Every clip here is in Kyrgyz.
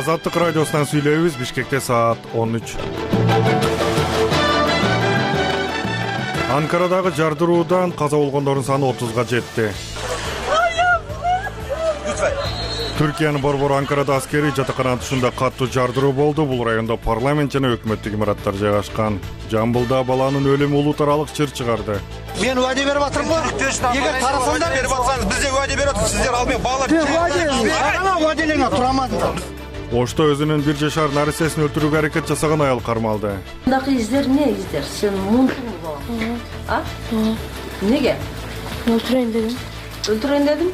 Азаттык радиосунан сүйлөйбүз. Бишкекте саат 13. Анкарадагы жардыруудан каза болгондордун саны 30га жетти. Түркиянын борбору Анкарада аскерий жатакананын тушунда каттуу жардыруу болду. Бул райондо парламент жана өкмөттүк имараттар жайгашкан. Жамбылда баланын өлүмү улут аралык чыр чыгарды. Мен уаде берип атырмын го. Эгер тарасаңдар берип атсаңыз, биз де уаде берип атабыз. Сиздер ал мен балалар уаделеңе турамадыңдар. Ошто өзүнүн 1 жашар нарисесин өлтүрүүгө аракет жасаган аял кармалды. Мындакы издер эмне издер? Сен мунтуң болгон. Неге? Өлтүрөйүн дедим.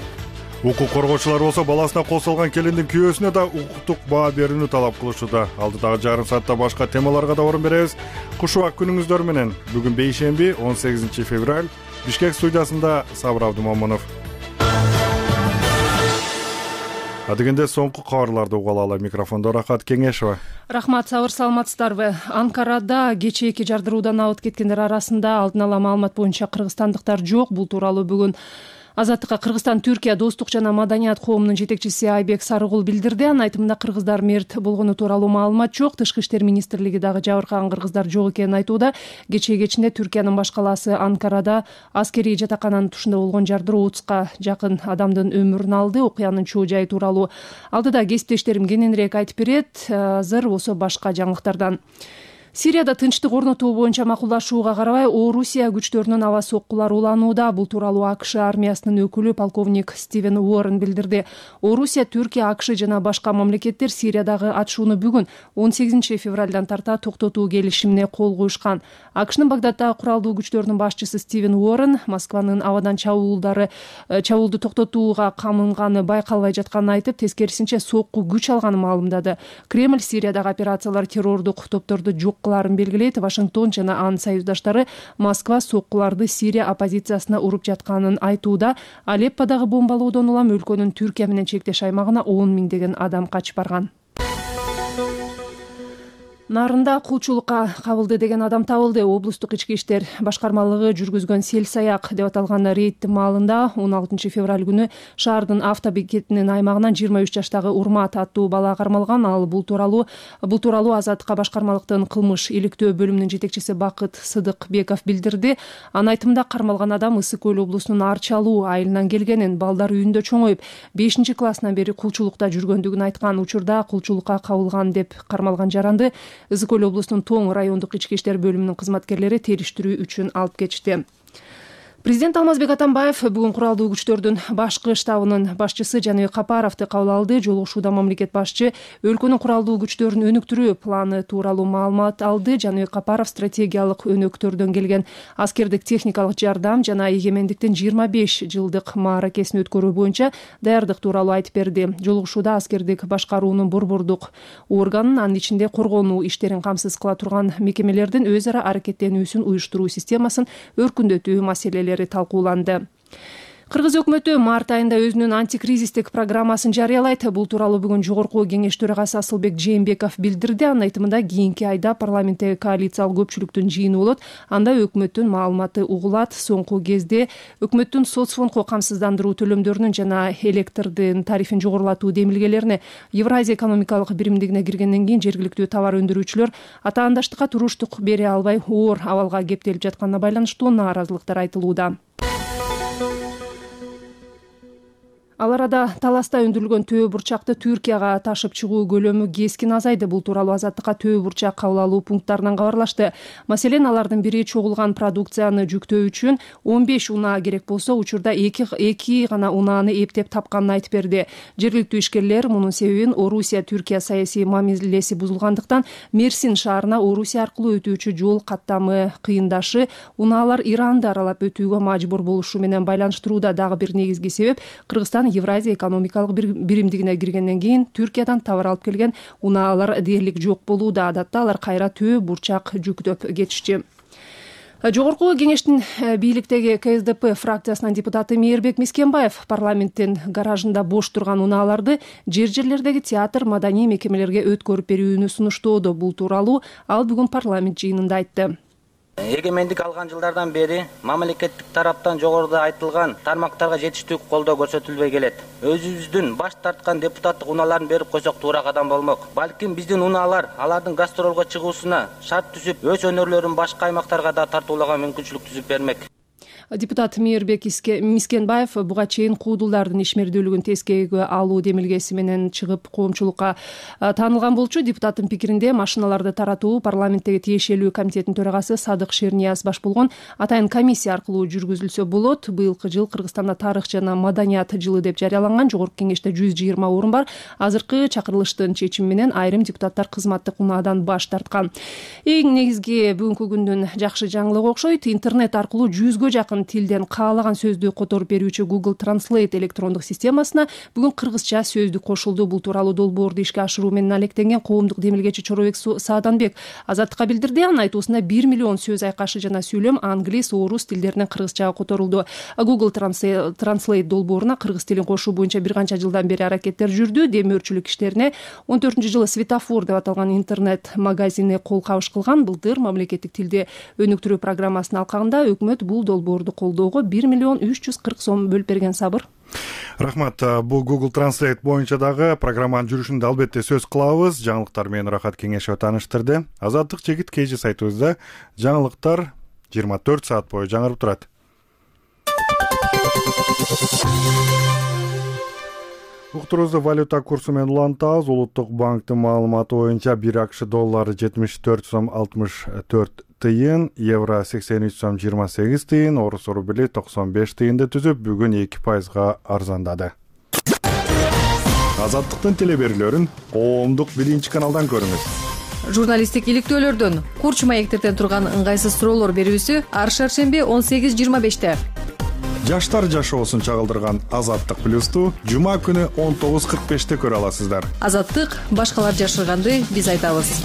Укук коргоочулар болсо баласына кол салган келиндин күйөөсүнө да укуктук баа берүүнү талап кылышууда. Алдыдагы жарым саатта башка темаларга да орун беребиз. Кушубак күнүңүздөр менен. Бүгүн бейшемби 18 февраль. Бишкек студиясында Сабыр Абдымомунов. Адегенде соңку кабарларды уга алалы. Микрофондо Рахат Кеңешева. Рахмат, Сабыр, саламатсыздарбы? Анкарада кечээки жардыруудан абыт кеткендер арасында алдын ала маалымат боюнча кыргызстандыктар жок. Бул тууралуу бүгүн Азаттыкка Кыргызстан Түркия достук жана маданият коомунун жетекчиси Айбек Сарыгул билдирди. Анын айтымында кыргыздар мерт болгону тууралуу маалымат жок. Тышкы иштер министрлиги дагы жабыркаган кыргыздар жок экенин айтууда. Кечээ кечинде Түркиянын баш калаасы Анкарада аскерий жатакананын тушунда болгон жардыруу 30га жакын адамдын өмүрүн алды. Окуянын чоо жайы тууралуу алдыда кесиптештерим кененирээк айтып берет. Азыр болсо башка жаңылыктардан. Сирияда тынчтык орнотуу боюнча макулдашууга карабай, Орусия күчтөрүнүн аба соккулары уланууда. Бул тууралуу АКШ армиясынын өкүлү полковник Стивен Уоррен билдирди. Орусия, Түркия, АКШ жана башка мамлекеттер Сириядагы атышууну бүгүн 18 февралдан тарта токтотуу келишимине кол коюшкан. АКШнын Багдаддагы куралдуу күчтөрүнүн башчысы Стивен Уоррен Москванын абадан чабуулду токтотууга камынганы байкалбай жатканын айтып, тескерисинче сокку күч алганын маалымдады. Кремль Сириядагы операциялар террордук топторду жок белгилейт. Вашингтон жана анын союздаштары Москва соккуларды Сирия оппозициясына уруп жатканын айтууда. Алепподагы бомбалоодон улам өлкөнүн Түркия менен чектеш аймагына 10 миңдеген адам качып барган. Нарында кулчулукка кабылды деген адам табылды. Облустук ички иштер башкармалыгы жүргүзгөн сел-саяк деп аталган рейдтин маалында 16 февраль күнү шаардын автобекетинин аймагынан 23 жаштагы Урмат аттуу бала кармалган. Ал бул тууралуу Азаттыкка башкармалыктын кылмыш иликтөө бөлүмүнүн жетекчиси Бакыт Сыдыкбеков билдирди. Анын айтымында кармалган адам Ысык Көл облусунун Арчалуу айылынан келгенин, балдар үйүндө чоңоюп 5-классынан бери кулчулукта жүргөндүгүн айткан. Учурда кулчулукка кабылган деп кармалган жаранды Ысык Көл облусунун Тоң райондук ички иштер бөлүмүнүн кызматкерлери териштирүү үчүн алып кетишти. Президент Алмазбек Атамбаев бүгүн куралдуу күчтөрдүн башкы штабынын башчысы Жаныбек Капаровду кабыл алды. Жолугушууда мамлекет башчы өлкөнүн куралдуу күчтөрүн өнүктүрүү планы тууралуу маалымат алды. Жаныбек Капаров стратегиялык өнөктөрдөн келген аскердик техникалык жардам жана эгемендиктин 25 жылдык мааракесин өткөрүү боюнча даярдык тууралуу айтып берди. Жолугушууда аскердик башкаруунун борбордук органын, анын ичинде коргонуу иштерин камсыз кыла турган мекемелердин өз ара аракеттенүүсүн уюштуруу системасын өркүндөтүү маселелери талкууланды. Кыргыз өкмөтү март айында өзүнүн антикризистик программасын жарыялайт. Бул тууралуу бүгүн жогорку кеңеш төрагасы Асылбек Жээнбеков билдирди. Анын айтымында кийинки айда парламенттеги коалициялык көпчүлүктүн жыйыны болот. Анда өкмөттүн маалыматы угулат. Соңку кезде өкмөттүн соцфондко камсыздандыруу төлөмдөрүнүн жана электрдин тарифин жогорулатуу демилгелерине Евразия экономикалык биримдигине киргенден кийин жергиликтүү товар өндүрүүчүлөр атаандаштыкка туруштук бере албай оор абалга кептелип жатканына байланыштуу нааразылыктар айтылууда. Ал арада таласта өндүрүлгөн төө бурчакты Түркияга ташып чыгуу көлөмү кескин азайды. Бул тууралуу Азаттыкка төө бурчак кабыл алуу пункттарынан кабарлашты. Маселен, алардын бири чогулган продукцияны жүктөө үчүн 15 унаа керек болсо, учурда 2 гана унааны эптеп тапканын айтып берди. Жергиликтүү ишкерлер мунун себебин Орусия-Түркия саясий мамилеси бузулгандыктан Мерсин шаарына Орусия аркылуу өтүүчү жол каттамы кыйындашы, унаалар Иранды аралап өтүүгө мажбур болушу менен байланыштырууда. Дагы бир негизги себеп Кыргызстан Евразия экономикалык биримдигине киргенден кийин Түркиядан товар алып келген унаалар дээрлик жок болууда. Адатта алар кайра төө бурчак жүктөп кетишчи. Жогорку кеңештин бийликтеги КСДП фракциясынын депутаты Мээрбек Мискенбаев парламенттин гаражында бош турган унааларды жерлердеги театр, маданий мекемелерге өткөрүп берүүнү сунуштоодо. Бул тууралуу ал бүгүн парламент жыйынында айтты. Эгемендик алган жылдардан бери мамлекеттик тараптан жогоруда айтылган тармактарга жетиштүү колдоо көрсөтүлбөй келет. Өзүбүздүн баш тарткан депутаттык унааларын берип койсок туура кадам болмок. Балким биздин унаалар алардын гастролго чыгуусуна шарт түзүп, өз өнөрлөрүн башка аймактарга да тартуулаган мүмкүнчүлүк түзүп бермек. Депутат Мейирбек Мискенбаев буга чейин куудулдардын ишмердүүлүгүн тескеге алуу демилгеси менен чыгып коомчулукка таанылган болчу. Депутаттын пикиринде машиналарды таратуу парламенттеги тиешелүү комитетинин төрагасы Садык Шернияз баш болгон атайын комиссия аркылуу жүргүзүлсө болот. Быйылкы жыл Кыргызстанда тарых жана маданият жылы деп жарыяланган. Жогорку кеңеште 120 орун бар. Азыркы чакырылыштын чечими менен айрым депутаттар кызматтык унаадан баш тарткан. Эң негизги бүгүнкү күндүн жакшы жаңылыгы окшойт. Интернет аркылуу 100гө жакын тилден каалаган сөздү которуп берүүчү Google Translate электрондук системасына бүгүн кыргызча сөздүк кошулду. Бул тууралуу долбоорду ишке ашыруу менен алектенген коомдук демилгечи Чоробек Сааданбек Азаттыкка билдирди. Анын айтуусунда 1 миллион сөз айкашы жана сүйлөм англис, орус тилдеринен кыргызчага которулду. Google Translate долбооруна кыргыз тилин кошуу боюнча бир канча жылдан бери аракеттер жүрдү. Демөөрчүлүк иштерине 14-жылы Светофор деп аталган интернет магазини кол кабыш кылган. Былтыр мамлекеттик тилди өнүктүрүү программасынын алкагында өкмөт бул долбоорду колдоого 1 миллион 340 сом бөлүп берген. Сабыр. Рахмат. Бул Google Translate боюнча дагы программанын жүрүшүндө албетте сөз кылабыз. Жаңылыктар менен Рахат Кеңешева тааныштырды. Азаттык жегит KG сайтыбызда жаңылыктар 24 саат бою жаңырып турат. Уктурубузду валюта курсу менен улантабыз. Улуттук банктын маалыматы боюнча 1 акш доллары 74 сом 64 тыйын, евро 83 сом 28 тыйын, орус рубли 95 тыйынды түзүп, бүгүн 2% арзандады. Азаттыктын телеберүүлөрүн коомдук биринчи каналдан көрүңүз. Журналисттик иликтөөлөрдөн курч маектерден турган ыңгайсыз суроолор берүүсү ар шаршемби 18:25. Жаштар жашоосун чагылдырган Азаттык плюсту жума күнү 19:45 көрө аласыздар. Азаттык башкалар жашырганды биз айтабыз.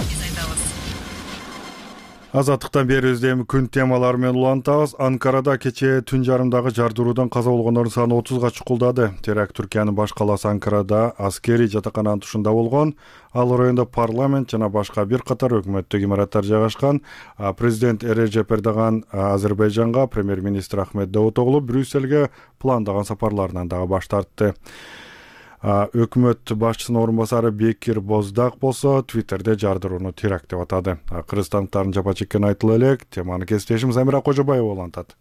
Азаттыктан берүүбүздө эми күн темалары менен улантабыз. Анкарада кечээ түн жарымдагы жардыруудан каза болгондордун саны 30га чукулдады. Теракт Түркиянын баш калаасы Анкарада аскерий жатакананын тушунда болгон. Ал райондо парламент жана башка бир катар өкмөттүк имараттар жайгашкан. Президент Режеп Эрдоган Азербайжанга, премьер-министр Ахмет Давутоглу Брюссельге пландаган сапарларынан дагы баш тартты. Өкмөт башчысынын орун басары Бекир Боздак болсо Твиттерде жардырууну теракт деп атады. Кыргызстандыктардын жапа чеккени айтыла элек. Теманы кесиптешим Замира Кожобаева улантат.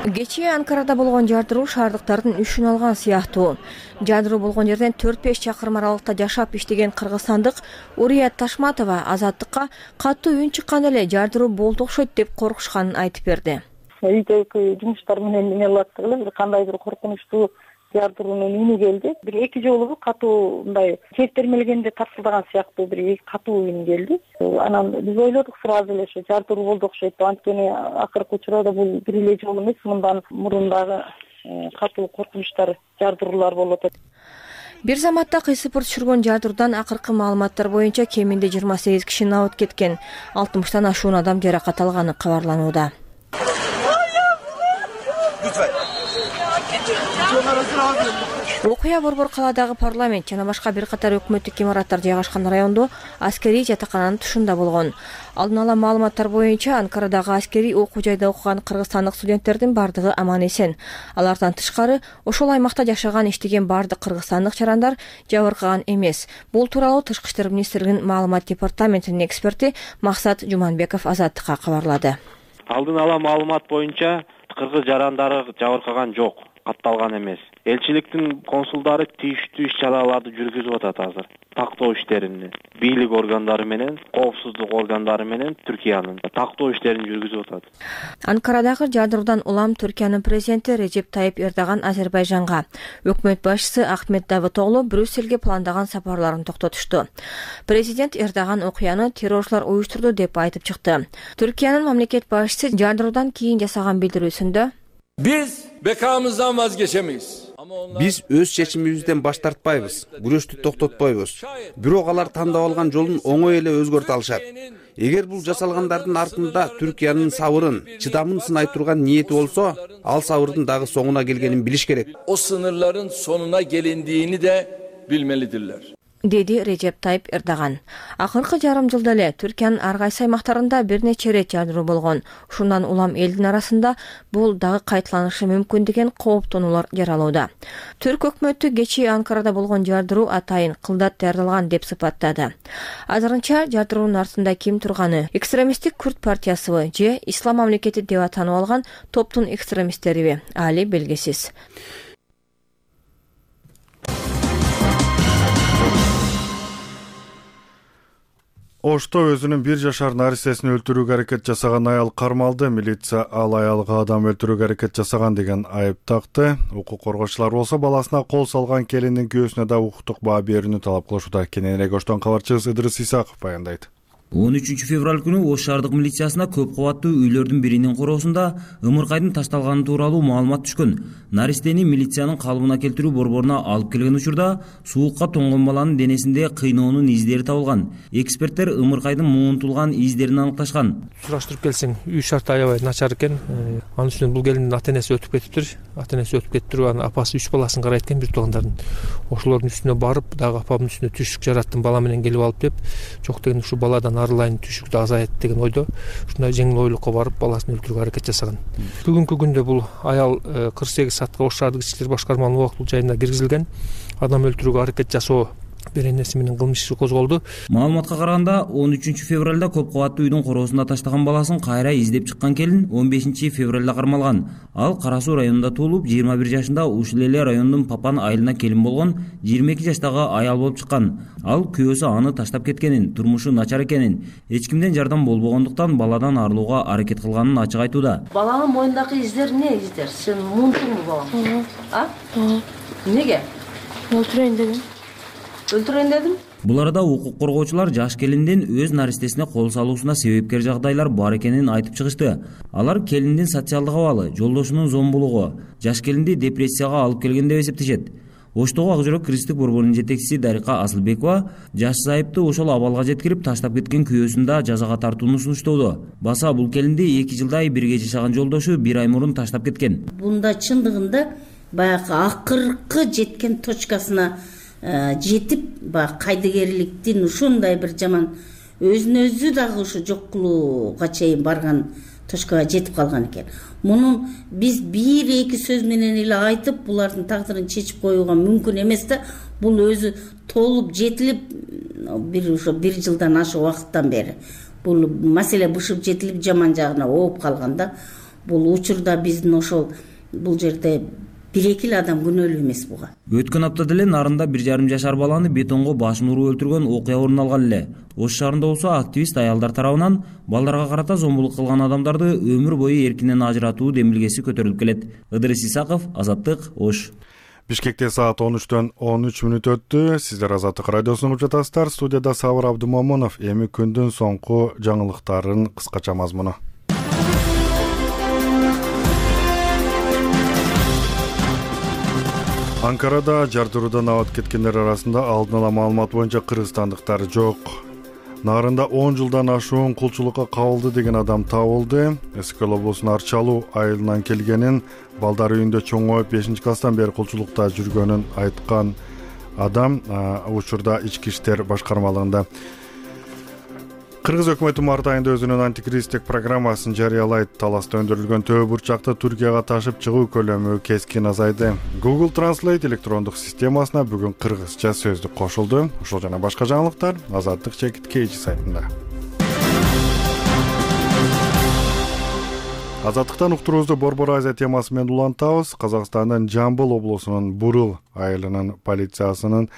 Кечээ Анкарада болгон жардыруу шаардыктардын үшүн алган сыяктуу. Жардыруу болгон жерден 4-5 чакырым аралыкта жашап иштеген кыргызстандык Урият Ташматова Азаттыкка катуу үн чыккан эле жардыруу болду окшойт деп коркушканын айтып берди. Үйдөгү жумуштар менен эмне кылат эле бир кандай бир коркунучтуу жардыруунун үнү келди. Бир 2 жолу катуу мындай черттермелгенде тарсылдаган сыяктуу бир катуу үн келди. Анан биз ойлодук сразу эле ошо жардыруу болду окшойт. Анткени акыркы учурда бул бир эле жол эмес, мындан мурун дагы катуу коркунучтар, жардыруулар болуп атат. Бир заматта кыйсыпыр түшүргөн жардыруудан акыркы маалыматтар боюнча кеминде 28 киши абыт кеткен, 60тан ашуун адам жаракат алганы кабарланууда. Окуя Борбор калаадагы парламент жана башка бир катар өкмөттүк имараттар жайгашкан райондо аскерий жатакананын тушунда болгон. Алдын ала маалыматтар боюнча Анкарадагы аскерий окуу жайда окуган кыргызстандык студенттердин бардыгы аман эсен. Алардан тышкары ошол аймакта жашаган иштеген бардык кыргызстандык жарандар жабыркаган эмес. Бул тууралуу Тышкы иштер министрлигинин маалымат департаментинин эксперти Максат Жуманбеков Азаттыкка кабарлады. Алдын ала маалымат боюнча кыргыз жарандары жабыркаган жок, катталган эмес. Элчиликтин консулдары тийиштүү иш-чараларды жүргүзүп атат азыр. Тактоо иштерин бийлик органдары менен, коопсуздук органдары менен Түркиянын тактоо иштерин жүргүзүп атат. Анкарадагы жардыруудан улам Түркиянын президенти Режеп Тайып Эрдоган Азербайжанга, өкмөт башчысы Ахмет Давутоглу Брюссельге пландаган сапарларын токтотушту. Президент Эрдоган окуяны террорчулар уюштурду деп айтып чыкты. Түркиянын мамлекет башчысы жардыруудан кийин жасаган билдирүүсүндө Biz bekamızdan vazgeçemeyiz. Биз өз чечимибизден баш тартпайбыз, күрөштү токтотпойбуз. Бирок алар тандап алган жолун оңой эле өзгөртө алышат. Эгер бул жасалгандардын артында Түркиянын сабырын, чыдамын сынай турган ниети болсо, ал сабырдын дагы соңуна келгенин билиш керек. O sınırların sonuna gelindiğini de bilmelidirler. деди Режеп Тайып Эрдоган. Акыркы жарым жылда эле Түркиянын ар кайсы аймактарында бир нече ирет жардыруу болгон. Ушундан улам элдин арасында бул дагы кайталанышы мүмкүн деген кооптонуулар жаралууда. Түрк өкмөтү кечээ Анкарада болгон жардыруу атайын кылдат даярдалган деп сыпаттады. Азырынча жардыруунун артында ким турганы, экстремисттик Күрд партиясыбы же Ислам мамлекети деп атанып алган топтун экстремисттериби али белгисиз. Ошто өзүнүн 1 жашар наристесин өлтүрүүгө аракет жасаган аял кармалды. Милиция ал аялга адам өлтүрүүгө аракет жасаган деген айып такты. Укук коргоочулар болсо баласына кол салган келиндин күйөөсүнө да укуктук баа берүүнү талап кылышууда. Кененирээк Оштон кабарчыбыз Ыдырыс Исаков баяндайт. 13 февраль күнү Ош шаардык милициясына көп кабаттуу үйлөрдүн биринин короосунда ымыркайдын ташталганы тууралуу маалымат түшкөн. Наристени милициянын калыбына келтирүү борборуна алып келген учурда суукка тоңгон баланын денесинде кыйноонун издери табылган. Эксперттер ымыркайдын муунтулган издерин аныкташкан. Сураштырып келсең, үй шарты аябай начар экен. Анын үстүнөн бул келиндин ата-энеси өтүп кетиптир. Ата-энеси өтүп кетиптир, анын апасы 3 баласын карайт экен, бир туугандардын. Ошолордун үстүнө барып, дагы апамдын үстүнө түшүк жараттым, бала менен келип алып деп, жок деген ушу баладан арылайын, түшүктү азайт деген ойдо ушундай жеңил ойлукка барып баласын өлтүрүүгө аракет жасаган. Бүгүнкү күндө бул аял 48 саатка Ош шаардык ички иштер башкармалыгынын убактылуу жайына киргизилген. Адам өлтүрүүгө аракет жасоо беренеси менен кылмыш иши козголду. Маалыматка караганда 13 февралда көп кабаттуу үйдүн короосунда таштаган баласын кайра издеп чыккан келин 15 февралда кармалган. Ал Кара Суу районунда туулуп, 21 жашында ушул эле райондун Папан айылына келин болгон 22 жаштагы аял болуп чыккан. Ал күйөөсү аны таштап кеткенин, турмушу начар экенин, эч кимден жардам болбогондуктан баладан арылууга аракет кылганын ачык айтууда. Баланын моюндагы издер эмне издер? Сен муунтуңбу балам? Неге? Өлтүрөйүн дедим. Өлтүрөйүн дедим. Бул арада укук коргоочулар жаш келиндин өз наристесине кол салуусуна себепкер жагдайлар бар экенин айтып чыгышты. Алар келиндин социалдык абалы, жолдошунун зомбулугу, жаш келинди депрессияга алып келген деп эсептешет. Оштогу Ак жүрөк кристик борборунун жетекчиси Дарика Асылбекова жаш зайыпты ошол абалга жеткирип таштап кеткен күйөөсүн да жазага тартууну сунуштоодо. Баса бул келинди 2 жылдай бирге жашаган жолдошу 1 ай мурун таштап кеткен. Бунда чындыгында баягы акыркы жеткен точкасына жетип, кайдыгерликтин ушундай бир жаман өзүн өзү дагы ушу жок кылууга чейин барган точкага жетип калган экен. Мунун биз 1-2 сөз менен эле айтып, булардын тагдырын чечип коюуга мүмкүн эмес да. Бул өзү толуп жетилип, бир жылдан ашык убакыттан бери бул маселе бышып жетилип жаман жагына ооп калган да. Бул учурда биздин ошол бул жерде 1-2 адам күнөөлүү эмес буга. Өткөн аптада эле Нарында 1,5 жашар баланы бетонго башын уруп өлтүргөн окуя орун алган эле. Ош шаарында болсо активист аялдар тарабынан балдарга карата зомбулук кылган адамдарды өмүр бою эркинен ажыратуу демилгеси көтөрүлүп келет. Ыдырыс Исаков, Азаттык, Ош. Бишкекте саат 13-төн 13 мүнөт өттү. Сиздер Азаттык радиосун угуп жатасыздар. Студияда Сабыр Абдумомунов. Эми күндүн соңку жаңылыктарын кыскача мазмуну. Анкарада жардыруудан абат кеткендер арасында алдын ала маалымат боюнча кыргызстандыктар жок. Нарында 10 жылдан ашуун кулчулукка кабылды деген адам табылды. Эскөл облусунун Арчалуу айылынан келгенин, балдар үйүндө чоңоюп 5-класстан бери кулчулукта жүргөнүн айткан адам учурда ички иштер башкармалыгында. Кыргыз өкмөтү март айында өзүнүн антикризистик программасын жарыялайт. Таласта өндүрүлгөн төө бурчакты Түркияга ташып чыгуу көлөмү кескин азайды. Google Translate электрондук системасына бүгүн кыргызча сөздүк кошулду. Ушул жана башка жаңылыктар Азаттык /KG сайтында. Азаттыктан уктуруубузду Борбор Азия темасы менен улантабыз. Казакстандын Жамбыл облусунун Бурул айылынын полициясынын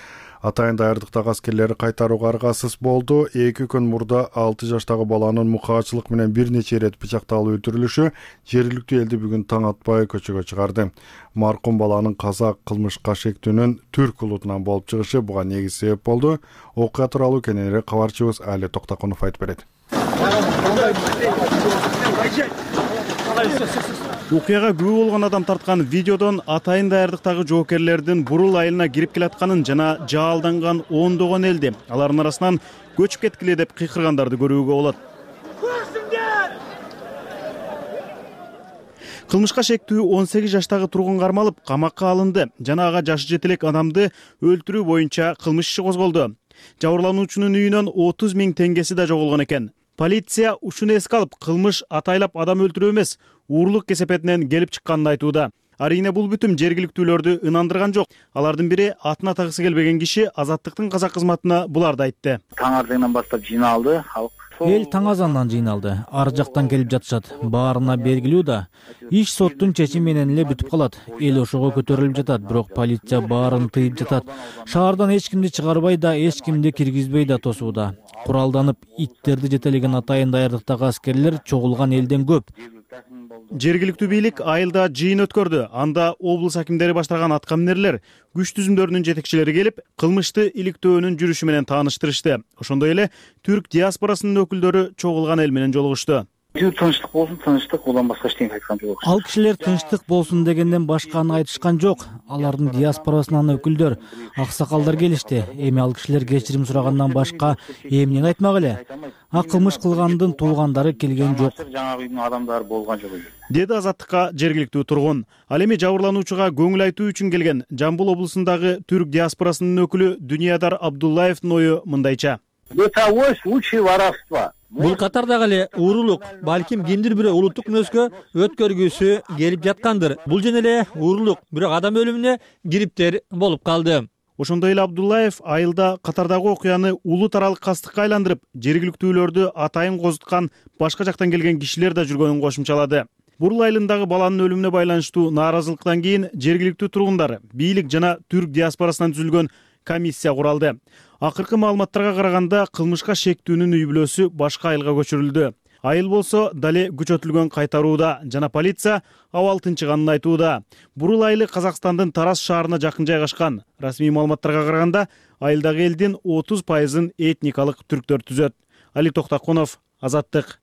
атайын даярдыктагы аскерлери кайтарууга аргасыз болду. 2 күн мурда 6 жаштагы баланын мукаачылык менен бир нече ирет пычакталып өлтүрүлүшү жергиликтүү элди бүгүн таң атпай көчөгө чыгарды. Маркум баланын казак кылмышка шектүүнүн түрк улутунан болуп чыгышы буга негиз себеп болду. Окуя тууралуу кененирээк кабарчыбыз Али Токтакунов айтып берет. Окуяга күбө болгон адам тарткан видеодон атайын даярдыктагы жоокерлердин Бурул айылына кирип келатканын жана жаалданган ондогон элди алардын арасынан көчүп кеткиле деп кыйкыргандарды көрүүгө болот. Кылмышка шектүү 18 жаштагы тургун кармалып, камакка алынды жана ага жашы жете элек адамды өлтүрүү боюнча кылмыш иши козголду. Жабырлануучунун үйүнөн 30 000 теңгеси да жоголгон экен. Полиция ушуну эске алып, кылмыш атайлап адам өлтүрүү эмес, уурлук кесепетинен келип чыкканын айтууда. Арийне бул бүтүм жергиликтүүлөрдү ынандырган жок. Алардын бири атын атагысы келбеген киши Азаттыктын казак кызматына буларды айтты. Таң ардыгынан баштап жыйналды халык. Эл таң азандан жыйналды. Ар жактан келип жатышат. Баарына белгилүү да. Иш соттун чечими менен эле бүтүп калат. Эл ошого көтөрүлүп жатат, бирок полиция баарын тыйып жатат. Шаардан эч кимди чыгарбай да, эч кимди киргизбей да тосууда. Куралданып, иттерди жетелеген атайын даярдыктагы аскерлер чогулган элден көп. Жергиликтүү бийлик айылда жыйын өткөрдү. Анда облус акимдери баштаган аткаминерлер, күч түзүмдөрүнүн жетекчилери келип, кылмышты иликтөөнүн жүрүшү менен тааныштырышты. Ошондой эле түрк диаспорасынын өкүлдөрү чогулган эл менен жолугушту. Тынчтык болсун, тынчтык, улам башка эчтеке айткан жок. Ал кишилер тынчтык болсун дегенден башканы айтышкан жок. Алардын диаспорасынан өкүлдөр, аксакалдар келишти. Эми ал кишилер кечирим сурагандан башка эмнени айтмак эле? Кылмыш кылгандын туугандары келген жок. Жаңа үйдүн адамдары болгон жок. Деди Азаттыкка жергиликтүү тургун. Ал эми жабырлануучуга көңүл айтуу үчүн келген Жамбыл облусундагы түрк диаспорасынын өкүлү Дүниядар Абдуллаевдин ою мындайча. Это случай воровства. Бул катардагы эле уурулук, балким кимдир бирөө улуттук мүнөзгө өткөргүсү келип жаткандыр. Бул жана эле уурулук, бирок адам өлүмүнө кириптер болуп калды. Ошондой эле Абдуллаев айылда катардагы окуяны улут аралык кастыкка айландырып, жергиликтүүлөрдү атайын козуткан башка жактан келген кишилер да жүргөнүн кошумчалады. Бурул айылындагы баланын өлүмүнө байланыштуу нааразылыктан кийин жергиликтүү тургундар, бийлик жана түрк диаспорасынан түзүлгөн комиссия куралды. Акыркы маалыматтарга караганда кылмышка шектүүнүн үй бүлөсү башка айылга көчүрүлдү. Айыл болсо дале күчөтүлгөн кайтарууда жана полиция абал тынчыганын айтууда. Бурул айылы Казакстандын Тарас шаарына жакын жайгашкан. Расмий маалыматтарга караганда айылдагы элдин 30%-ын этникалык түрктөр түзөт. Али Токтакунов, Азаттык.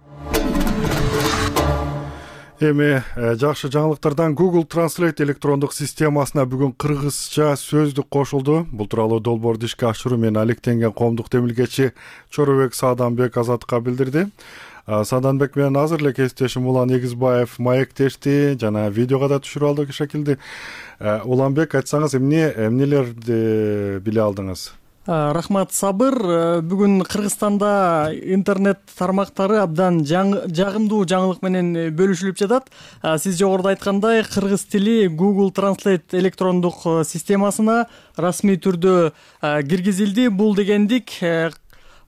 Эми жакшы жаңылыктардан Google Translate электрондук системасына бүгүн кыргызча сөздүк кошулду. Бул тууралуу долбоорду ишке ашыруу менен алектенген коомдук демилгечи Чоробек Сааданбек Азаттыкка билдирди. Сааданбек менен азыр эле кесиптешим Улан Эгизбаев маектешти жана видеого да түшүрүп алдык шакилде. Уланбек, айтсаңыз эмнелерди биле алдыңыз? Рахмат, Сабыр. Бүгүн Кыргызстанда интернет тармактары абдан жагымдуу жаңылык менен бөлүшүлүп жатат. Сиз жогоруда айткандай, кыргыз тили Google Translate электрондук системасына расмий түрдө киргизилди. Бул дегендик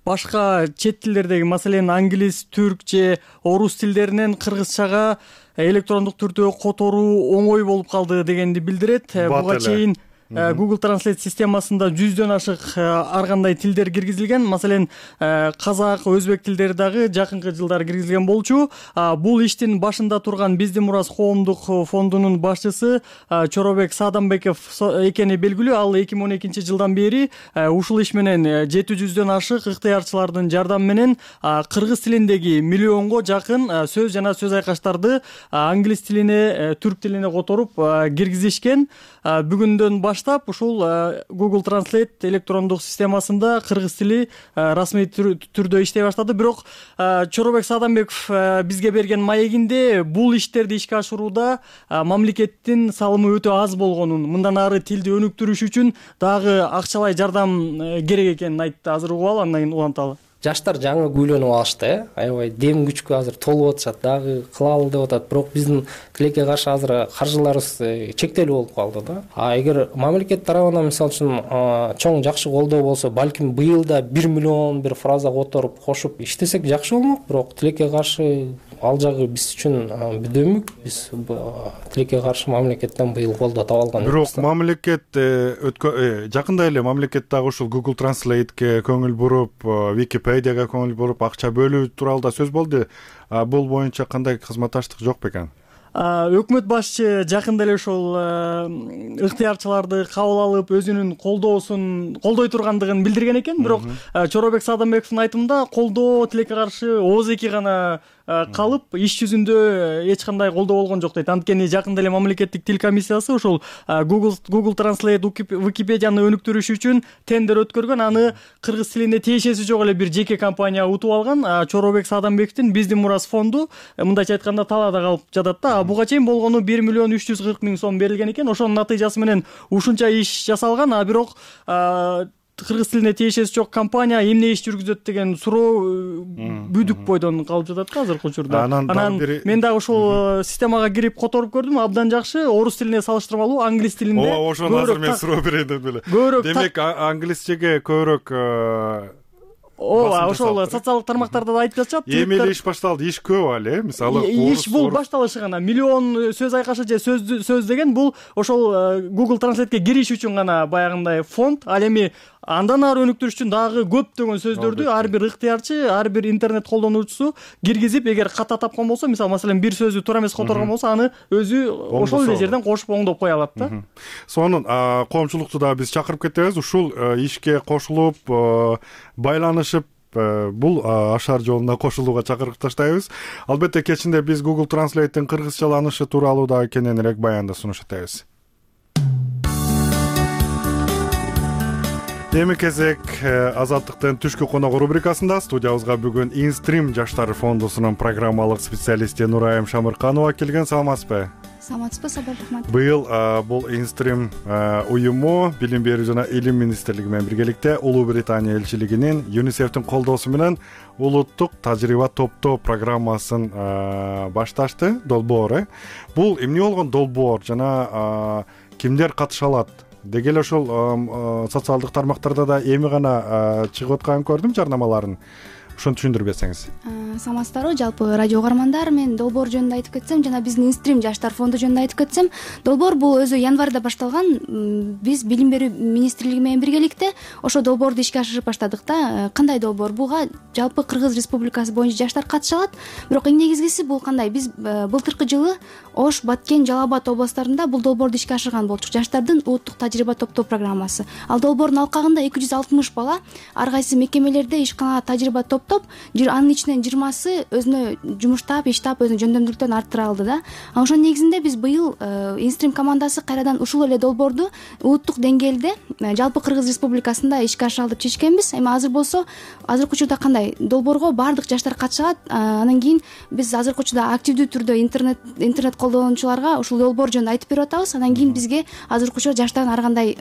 башка чет тилдердеги, маселен, англис, түрк же орус тилдеринен кыргызчага электрондук түрдө которуу оңой болуп калды дегенди билдирет. Буга чейин Google Translate системасында 100дөн ашык ар кандай тилдер киргизилген. Маселен, казак, өзбек тилдери дагы жакынкы жылдары киргизилген болчу. Бул иштин башында турган Биздин Мурас коомдук фондунун башчысы Чоробек Сааданбеков экени белгилүү. Ал 2012 жылдан бери ушул иш менен 700дөн ашык ыктыярчылардын жардамы менен кыргыз тилиндеги миллионго жакын сөз жана сөз айкаштарды англис тилине, түрк тилине которуп киргизишкен. Бүгүндөн баштап ушул Google Translate электрондук системасында кыргыз тили расмий түрдө иштей баштады. Бирок Чоробек Сааданбеков бизге берген маегинде бул иштерди ишке ашырууда мамлекеттин салымы өтө аз болгонун, мындан ары тилди өнүктүрүш үчүн дагы акчалай жардам керек экенин айтты. Азыр угалы, андан кийин уланталы. Жаштар жаңы күйлөнүп алышты, аябай дем күчкө азыр толуп атышат, дагы кылалы деп атат. Бирок биздин тилекке каршы азыр каржыларыбыз чектелүү болуп калды да. Эгер мамлекет тарабынан мисалы үчүн чоң жакшы колдоо болсо, балким быйыл да 1 миллион бир фраза которуп кошуп иштесек жакшы болмок. Бирок тилекке каршы ал жагы биз үчүн бүдөмүк. Биз тилекке каршы мамлекеттен быйыл колдоо таба алган. Бирок мамлекет жакында эле мамлекет дагы ушул Google Translate'ке көңүл буруп, Википедияга көңүл буруп, акча бөлүү тууралуу сөз болду. Бул боюнча кандай кызматташтык жок бекен? Өкмөт башчы жакында эле ошол ыктыярчыларды кабыл алып, өзүнүн колдой тургандыгын билдирген экен. Бирок Чоробек Сааданбековдун айтымында колдоо тилекке каршы ооз эки гана калып иш жүзүндө эч кандай колдоо болгон жок дейт. Анткени жакында эле мамлекеттик тил комиссиясы ошол Google Translate Википедияны өнүктүрүш үчүн тендер өткөргөн. Аны кыргыз тилине тиешеси жок эле бир жеке компания утуп алган. Чоробек Саадамбековдун Биздин мурас фонду мындайча айтканда талаада калып жатат да. Буга чейин болгону 1 миллион 340 миң сом берилген экен. Ошонун натыйжасы менен ушунча иш жасалган. Бирок кыргыз тилине тиешеси жок компания эмне иш жүргүзөт деген суроо бүдүк бойдон калып жатат да азыркы учурда. Анан мен дагы ушул системага кирип которуп көрдүм. Абдан жакшы. Орус тилине салыштырмалуу англис тилинде. Ошону азыр мен суроо берейин деп эле. Демек англисчеге көбүрөөк ошол социалдык тармактарда да айтып жатышат. Эми эле иш башталды. Иш көп эле. Мисалы иш бул башталышы гана. Миллион сөз айкашы же сөз деген бул ошол Google Translate'ке кириш үчүн гана баягындай фонд. Ал эми андан ары өнүктүрүш үчүн дагы көптөгөн сөздөрдү ар бир ыктыярчы, ар бир интернет колдонуучусу киргизип, эгер ката тапкан болсо, мисалы маселен бир сөздү туура эмес которгон болсо, аны өзү ошол эле жерден кошуп оңдоп кое алат да. Сонун коомчулукту да биз чакырып кетебиз. Ушул ишке кошулуп, байланышып, бул ашар жолуна кошулууга чакырып таштайбыз. Албетте кечинде биз Google Translate'тин кыргызчаланышы тууралуу да кененирээк баянды сунуш этебиз. Эми кезек Азаттыктын түшкү коногу рубрикасында студиябызга бүгүн Инстрим жаштар фондусунун программалык специалисти Нурайым Шамырканова келген. Саламатсызбы? Саламатсызбы, Сабыр рахмат. Быйыл бул Инстрим уюму Билим берүү жана Илим министрлиги менен биргеликте Улуу Британия элчилигинин ЮНИСЕФтин колдоосу менен улуттук тажрыйба топтоо программасын башташты. Долбоор. Бул эмне болгон долбоор жана кимдер катыша алат? Деги эле ошол социалдык тармактарда да эми гана чыгып атканын көрдүм жарнамаларын. Ошону түшүндүрүп берсеңиз. Саламатсыздарбы, жалпы радио угармандар, мен долбоор жөнүндө айтып кетсем жана биздин Инстрим жаштар фонду жөнүндө айтып кетсем, долбоор бул өзү январда башталган. Биз Билим берүү министрлиги менен биргеликте ошо долбоорду ишке ашырып баштадык да. Кандай долбоор? Буга жалпы Кыргыз Республикасы боюнча жаштар катыша алат. Бирок эң негизгиси бул кандай? Биз былтыркы жылы Ош, Баткен, Жалал Абад областтарында бул долбоорду ишке ашырган болчук. Жаштардын улуттук тажрыйба топтоо программасы. Ал долбоордун алкагында 260 бала ар кайсы мекемелерде ишканада тажрыйба топтоп, анын ичинен 20сы өзүнө жумуштап, иштап, өзүнүн жөндөмдүүлүктөрүн арттыра алды да. Ошонун негизинде биз быйыл Инстрим командасы кайрадан ушул эле долбоорду улуттук деңгээлде жалпы Кыргыз Республикасында ишке ашыра алып чечкенбиз. Эми азыр болсо, азыркы учурда кандай? Долбоорго баардык жаштар катыша алат. Анан кийин биз азыркы учурда активдүү түрдө интернет колдонуучуларга ушул долбоор жөнүндө айтып берип атабыз. Анан кийин бизге азыркы учурда жаштардын ар кандай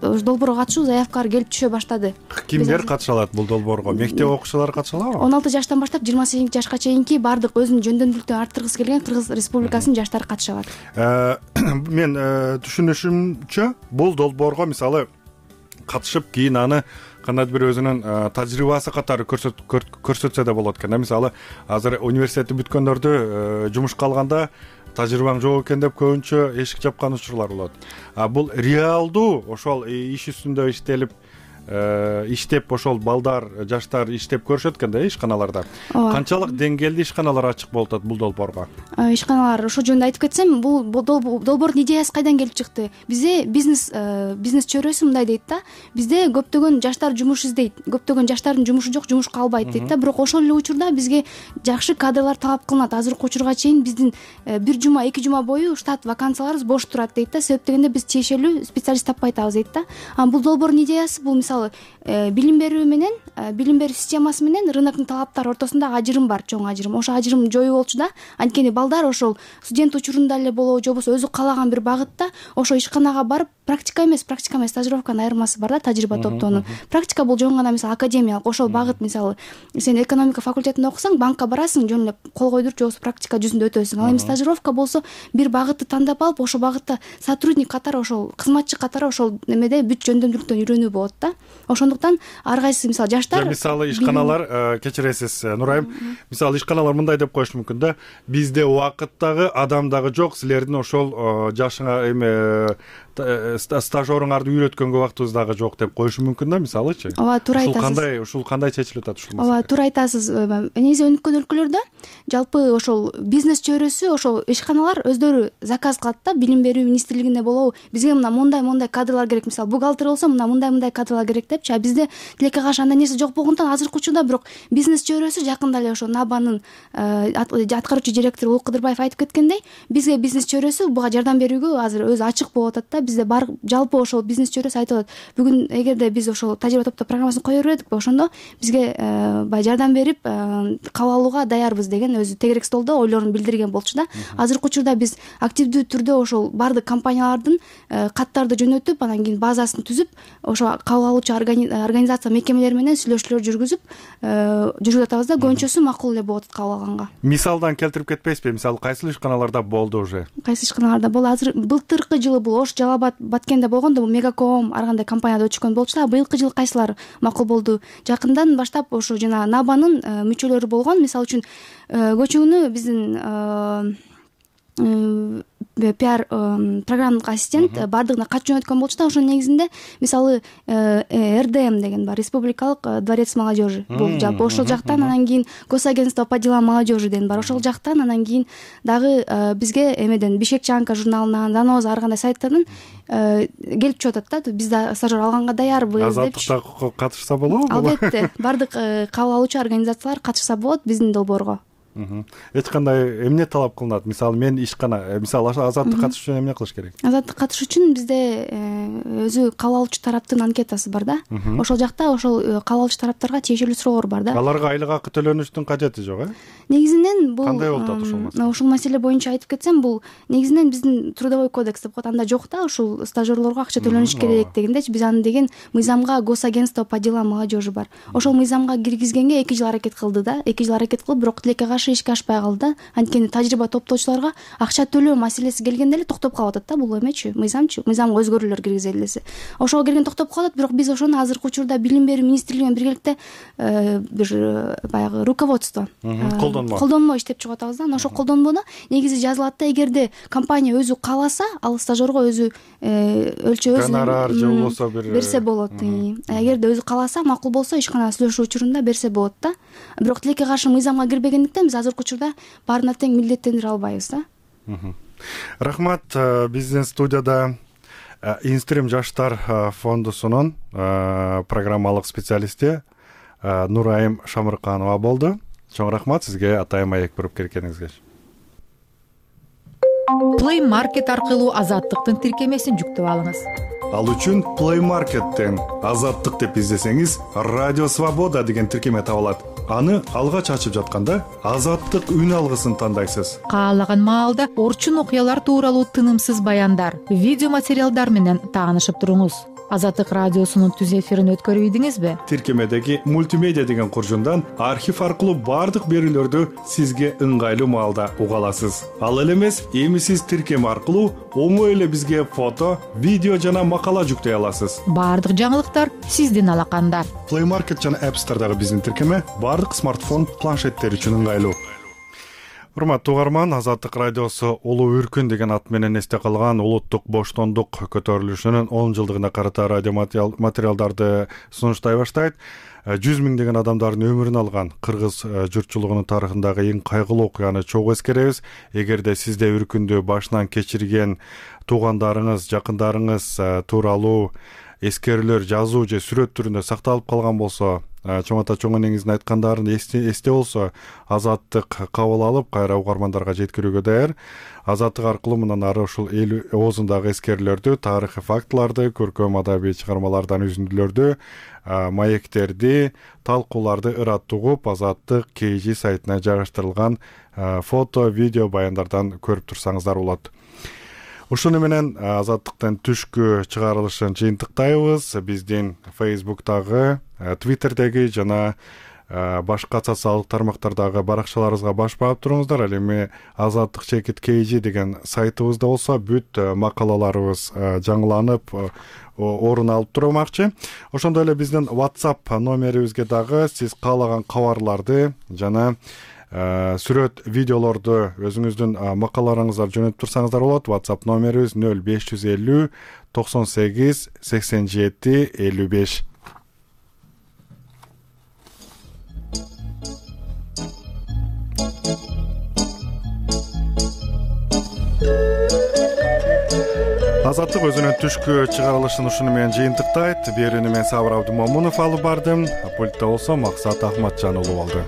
долбоорго катышуу заявкалар келип түшө баштады. Кимдер катыша алат бул долбоорго? Мектеп окуучулары катыша алабы? 16 жаштан баштап 28 жашка чейинки баардык өзүнүн жөндөмдүүлүктөрүн арттыргысы келген Кыргыз Республикасынын жаштары катыша алат. Мен түшүнүшүмчө бул долбоорго мисалы катышып кийин аны кандайдыр бир өзүнүн тажрыйбасы катары көрсөтсө да болот экен. Мисалы азыр университетти бүткөндөрдү жумушка алганда тажрыйбаң жок экен деп көбүнчө эшик жапкан учурлар болот. Бул реалдуу ошол иш үстүндө иштеп ошол балдар, жаштар иштеп көрүшөт экен да ишканаларда. Канчалык деңгээлде ишканалар ачык болуп атат бул долбоорго? Ишканалар ошол жөнүндө айтып кетсем, бул долбоордун идеясы кайдан келип чыкты? Бизде бизнес чөйрөсү мындай дейт да. Бизде көптөгөн жаштар жумуш издейт. Көптөгөн жаштардын жумушу жок, жумушка албайт дейт да. Бирок ошол эле учурда бизге жакшы кадрлар талап кылынат. Азыркы учурга чейин биздин 1 жума, 2 жума бою штат вакансияларыбыз бош турат дейт да. Себеп дегенде биз тиешелүү специалист таппай атабыз дейт да. Бул долбоордун идеясы бул мисалы билим берүү менен, билим берүү системасы менен рыноктун талаптары ортосунда ажырым бар, чоң ажырым. Ошо ажырым жоюу болчу да. Анткени балдар ошол студент учурунда эле болобу, же болбосо өзү каалаган бир багытта ошо ишканага барып практика эмес стажировканын айырмасы бар да, тажрыйба топтоонун. Практика бул жөн гана мисалы академиялык, ошол багыт мисалы сен экономика факультетинде окусаң, банкка барасың, жөн эле кол койдуруп, же болбосо практика жүзүндө өтөсүң. Ал эми стажировка болсо бир багытты тандап алып, ошол багытта сотрудник катары, ошол кызматчы катары ошол немеде бүт жөндөмдүүлүктөн үйрөнүү болот да. Ошондуктан ар кайсы мисалы жаштар мисалы ишканалар, кечиресиз Нурайым, мисалы ишканалар мындай деп коюшу мүмкүн да. Бизде убакыт дагы, адам дагы жок, силердин ошол жашыңа стажерыңарды үйрөткөнгө убактыбыз дагы жок деп коюшу мүмкүн да, мисалычы. Ооба, туура айтасыз. Ушул кандай чечилип атат ушул маселе? Ооба, туура айтасыз. Негизи өнүккөн өлкөлөрдө жалпы ошол бизнес чөйрөсү, ошол ишканалар өздөрү заказ кылат да, билим берүү министрлигинде болобу, бизге мондай кадрлар керек, мисалы бухгалтер болсо мондай кадрлар керек депчи. А бизде тилекке каршы андай нерсе жок болгондон азыркы учурда бирок бизнес чөйрөсү жакында эле ошо НАБАнын аткаруучу директору Улук Кыдырбаев айтып кеткендей, бизге бизнес чөйрөсү буга жардам берүүгө азыр өзү ачык болуп атат да. Бизде бар жалпы ошол бизнес чөйрөсү айтып атат, бүгүн эгерде биз ошол тажрыйба топтоо программасын кое бердик, ошондо бизге баягы жардам берип кабыл алууга даярбыз деген өзү тегерек столдо ойлорун билдирген болчу да. Азыркы учурда биз активдүү түрдө ошол бардык компаниялардын каттарды жөнөтүп, анан кийин базасын түзүп, ошо кабыл алуучу организация мекемелери менен сүйлөшүүлөр жүргүзүп атабыз да. Көбүнчөсү макул эле болуп атат кабыл алганга. Мисалдан келтирип кетпейсизби? Мисалы кайсы ишканаларда болду уже? Кайсы ишканаларда болду? Азыр былтыркы жылы бул Ош, Жалал Абад, Баткенде болгондо бул Мегаком ар кандай компанияда өчкөн болчу да. Быйылкы жылы кайсылар макул болду? Жакындан баштап ошо жана НАБАнын мүчөлөрү болгон, мисалы үчүн көчүүнү биздин пиар программалык ассистент бардыгына кат жөнөткөн болчу да. Ошонун негизинде мисалы РДМ деген бар, Республикалык дворец молодежи. Бул жалпы ошол жактан, анан кийин Госагентство по делам молодежи деген бар, ошол жактан, анан кийин дагы бизге эмеден Бишкекчанка журналынан, Заноза ар кандай сайттардан келип чыгып атат да. Биз да стажер алганга даярбыз депчи. Азаттыкта катышса болобу? Албетте, бардык кабыл алуучу организациялар катышса болот биздин долбоорго. Эч кандай эмне талап кылынат? Мисалы мен ишкана, мисалы азаттык катышыш үчүн эмне кылыш керек? Азаттык катышыш үчүн бизде өзү кабыл алуучу тараптын анкетасы бар да. Ошол жакта ошол кабыл алуучу тараптарга тиешелүү суроолор бар да. Аларга айлык акы төлөнүштүн кажети жок, Негизинен бул кандай болуп атат ушул маселе? Ушул маселе боюнча айтып кетсем, бул негизинен биздин трудовой кодекс деп коет, анда жок да, ушул стажерлорго акча төлөнүш керек дегендечи. Биз аны деген мыйзамга Госагентство по делам молодежи бар. Ошол мыйзамга киргизгенге 2 жыл аракет кылды да. 2 жыл аракет кылып, бирок тилекке каршы ишке ашпай калды. Анткени тажрыйба топтоочуларга акча төлөө маселеси келгенде эле токтоп калып атат да. Бул эмечи, мыйзамга өзгөрүүлөр киргизели десе. Ошого келген токтоп калат, бирок биз ошону азыркы учурда билим берүү министрлиги менен биргеликте бир баягы руководство колдонмо иштеп чыгып атабыз да. Ошол колдонмону негизи жазылат да. Эгерде компания өзү кааласа, ал стажерго өзү өлчөбү гонорар же болбосо берсе болот. Эгерде өзү кааласа, макул болсо, ишкана сүйлөшүү учурунда берсе болот да. Бирок тилекке каршы мыйзамга кирбегендиктен биз азыркы учурда баарына тең милдеттендире албайбыз да. Рахмат. Биздин студияда Инстрим жаштар фондусунун программалык специалисти Нурайым Шамырканова болду. Чоң рахмат сизге атайын маек буруп келгениңизге. Play Market аркылуу азаттыктын тиркемесин жүктөп алыңыз. Ал үчүн Play Market'тен азаттык деп издесеңиз, Радио Свобода деген тиркеме табылат. Аны алгач ачып жатканда азаттык үн алгысын тандайсыз. Каалаган маалда орчун окуялар тууралуу тынымсыз баяндар, видео материалдар менен таанышып туруңуз. Азаттык радиосунун түз эфирин өткөрүп ийдиңизби? Тиркемедеги мультимедиа деген куржундан архив аркылуу бардык берүүлөрдү сизге ыңгайлуу маалда уга аласыз. Ал эле эмес, эми сиз тиркеме аркылуу оңой эле бизге фото, видео жана макала жүктөй аласыз. Бардык жаңылыктар сиздин алаканда. Play Market жана App Store'дагы биздин тиркеме бардык смартфон, планшеттер үчүн ыңгайлуу. Урматтуу угарман, Азаттык радиосу Улуу Үркүн деген ат менен эсте калган улуттук боштондук көтөрүлүшүнүн 10 жылдыгына карата радио материалдарды сунуштай баштайт. 100 миңдеген адамдардын өмүрүн алган кыргыз журтчулугунун тарыхындагы эң кайгылуу окуяны чогуу эскеребиз. Эгерде сизде үркүндү башынан кечирген туугандарыңыз, жакындарыңыз тууралуу эскерүүлөр жазуу же сүрөт түрүндө сакталып калган болсо, чоң ата чоң энеңиздин айткандарын эсте болсо, Азаттык кабыл алып кайра угармандарга жеткирүүгө даяр. Азаттык аркылуу мындан ары ушул эл оозундагы эскерүүлөрдү, тарыхый фактыларды, көркөм адабий чыгармалардан үзүндүлөрдү, маектерди, талкууларды ырат угуп, Азаттык KG сайтына жайгаштырылган фото, видео баяндардан көрүп турсаңыздар болот. Ушуну менен Азаттыктын түшкү чыгарылышын жыйынтыктайбыз. Биздин Facebook'тагы, Twitter'деги жана башка социалдык тармактардагы баракчаларыбызга баш баап туруңуздар. Ал эми Азаттык чекит KG деген сайтыбызда болсо, бүт макалаларыбыз жаңыланып орун алып турмакчы. Ошондой эле биздин WhatsApp номерибизге дагы сиз каалаган кабарларды жана сүрөт видеолорду өзүңүздүн макалаларыңыздар жөнөтүп турсаңыздар болот. WhatsApp номерибиз 0550 98 87 55. Азаттык өзүнүн түшкү чыгарылышын ушуну менен жыйынтыктайт. Берүүнү мен Сабыр Абдымомунов алып бардым. Пультта болсо Максат Ахматжан болду.